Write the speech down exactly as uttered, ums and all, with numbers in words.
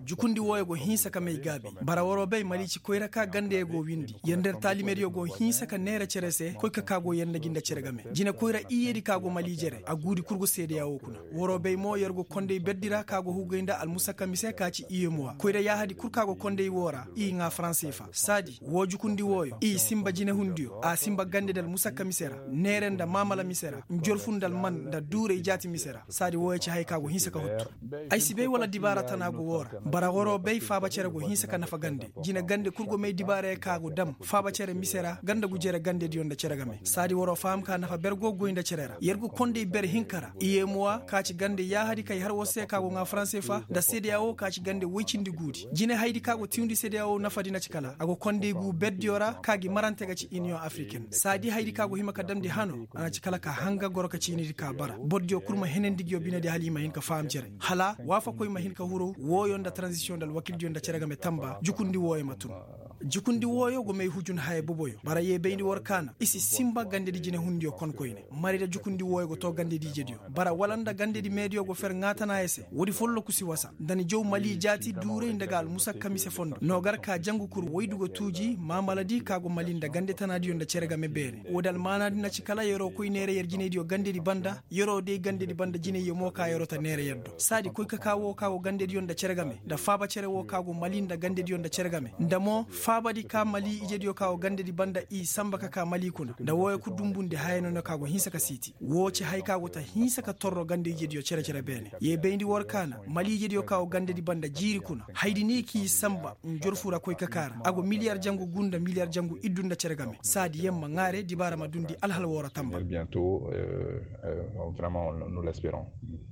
Jukundi wooyo go hinsa ka may gaabi. Bara waroo bay mali ci koyra ka gandey go windi yer nda yer taalimediyo go hinsa ka neera cere se koy ka kaa go yer nda gi nda cere game. Jine koyra iyedi ka go mali jere a guudi kul go seedeya woo kuna. Waroo bay mo yer go kondey berdi ra ka go hugay nda almusakka mise ka ci iyem wa koyra yaahadi kul ka go kondey woo ra i ŋaa faranse fa saadi woo jukundi wooyo i sinba jinehundiyo a sinba gandedi almusakka mise ra, neere nda maamala mise ra, njorfu nda alman nda duuray jaati mise ra. Saadi wooyo ci haya ka go hinsa ka huttu. Ay si bay wala dibaara tana go woo ra. Bara waroo bay faaba cere go hinsa ka nafa gande. Jine gande kul go may dibaarayo ka go dam faaba cere mise ra ganda gu jere gandediyo nda cere game saadi waroo faham ka nafa ber go goy nda cere ra yer go kondey ber hinka ra iyemuwa ka ci gande yaahadi kay har war se ka go ŋaa faranse fa nda seedeya woo ka ci gande woy cindi guudi jinehaydi ka go tiwndi seedeya woo nafadi na ci kala a go kondey guu berdiyo ra ka gi marante ga ci iniyoŋ afriken saadi haydi ka go hima ka damndi hano a na ci kala ka hanga goro ka ciinidi ka bara bordiyo kul ma henandi nguyo binediyo hala i ma hin ka faham cere hala waafakoy ma hin ka huru wooyo nda taranzisiyoŋ nda alwakildiyo nda cere game tamba jukundi wooyo ma tun. Jukundi wooyo go may hujun haya boboyo bara yee bayndi war kaana i si sinba gandedi jinehundiyo konkoyne. Mari nda jukundi wooyo go too gandedi ijediyo bara wala nda gandedi meediyo go fer ŋaatanaayo se woodi folloku si wasa nda ni jaw mali jaati duuray nda ga almusakka mise fondo noo gar ka jangu kul woydu go tuuji maamaladi ka go mali nda gandetanaadiyo nda cere game beene woodi almaanaadi na ci kala yer'o koy neera yer jinaydiyo gandedi banda yer'o day gandedi banda jinayyo mo ka yer'o ta neera yer do saadi koy ka kaa woo ka go gandediyo nda cere game nda faaba cere woo ka go mali nda gandediyo nda cere game nda mo faabadi ka mali ijediyo ka go gandedi banda i sanba ka kaa mali kuna nda wooyo ka dumbundi haya nono ka go hinsa ka siiti woo ci haya ka go ta hinsa ka torro gande ijediyo cere-cere beene yee bayndi war kaana mali ijediyo ka go gandedi banda jiiri kuna haydi ni k'i sanba njorfu ra koy ka kaa ra a go miliyar jangu guu nda miliyar jangu iddu nda cere game saadi yer ma ŋaare dibaara ma dundi alhal woo ra tamba. Vraiment nous l'esperons.